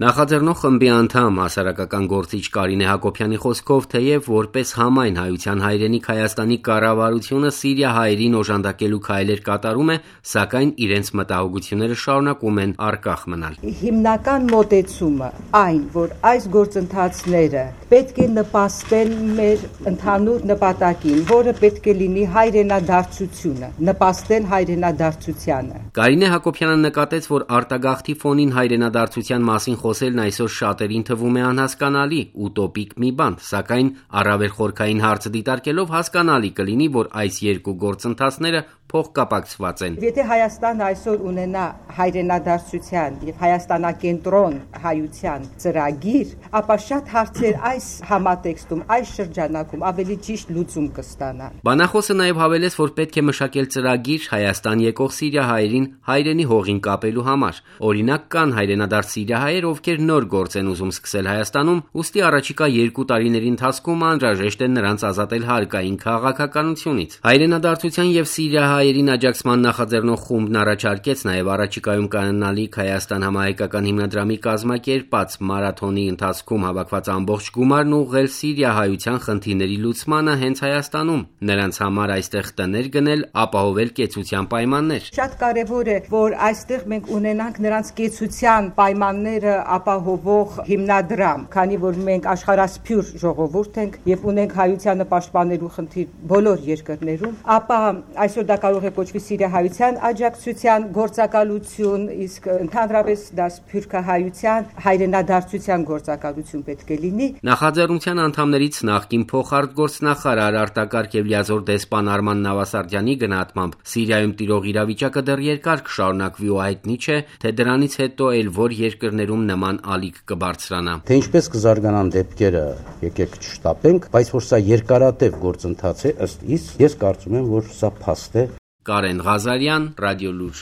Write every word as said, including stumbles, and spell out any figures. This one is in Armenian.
Նախաձեռնող խմբի անդամ հասարակական գործիչ Կարինե Հակոբյանի խոսքով, թեև որպես համայն հայության հայրենիք Հայաստանի կառավարությունը Սիրիա հայերին օժանդակելու քայլեր կատարում է, սակայն իրենց մտահոգությունները շարունակում են առկախ մնալ։ Հիմնական մոտեցումը այն, որ այս գործընթացները պետք է նպաստեն մեր ընդհանուր նպատակին, որը պետք է լինի հայրենադարձությունը, նպաստեն հայրենադարձությանը։ Կարինե Հակոբյանը նկատեց, որ արտագաղթի ֆոնին հայրենադարձության մասին խոսելն այսօր շատերին թվում է անհասկանալի, ուտոպիկ մի բան, սակայն առավել խորքային հարցը դիտարկելով հասկանալի կլինի, որ այս երկու գործընթացները փոխկապակցված են։ Եթե Հայաստանը այսօր ունենա հայրենադարձության եւ հայաստանակենտրոն հայության ծրագիր, ապա շատ հարցեր այս համատեքստում, այս շրջանակում ավելի ճիշտ լուծում կստանան։ Բանախոսը նաև հավելեց, որ պետք է մշակել ծրագիր Հայաստան եկող Սիրիա հայերին հայրենի հողին կապելու համար։ Օրինակ, կան հայրենադարձ սիրիահայեր, ովքեր նոր գործ են ուզում սկսել Հայաստանում, ուստի առաջիկա երկու տարիների ընթացքում անհրաժեշտ է նրանց ազատել հարկային քաղաքականությունից։ Հայրենադարձության եւ սիրիահայերին աջակցման նախաձեռնող խումբն առաջարկեց նաև առաջիկայում կանոնալիք Հայաստան համահայկական հիմնադրամի կազմակերպած մարաթոնի ընթացքում հավաքված ամբողջ գումարն ուղղել սիրիահայության խնդիրների լուծմանը հենց Հայաստանում, նրանց համար այստեղ տներ գնել, ապահովել կեցության պայմաններ։ Շատ կարևոր է, որ այստեղ մենք ունենանք նրանց կեցության պայմանները ապահովող հիմնադրամ, քանի որ մենք աշխարհասփյուր ժողովուրդ ենք եւ ունենք հայությանը պաշտպանելու խնդիր բոլոր երկրներում, ապա այսօր դա կարող է կոչվի սիրիահայության աջակցության գործակալություն, իսկ ընդհանրապես դա սփյուռքահայության հայրենադարձության գործակալություն պետք է լինի։ Նախաձեռնության անդամներից նախկին փոխարտգործնախարար արտակարգ եւ լիազոր դեսպան Արման Նավասարդյանի գնահատմամբ Սիրիայում տիրող իրավիճակը դեռ երկար կշարունակվի ու հայտնի չէ, թե դրանից հետո էլ որ երկրներում նման ալիք կբարձրանա։ Թե ինչպես կզարգանան դեպքերը, եկեք չշտապենք, բայց որ սա երկարատև գործընթաց է, ըստ իս, ես կարծում եմ, որ սա փաստ է։ Կարեն Ղազարյան, Ռադիոլուր։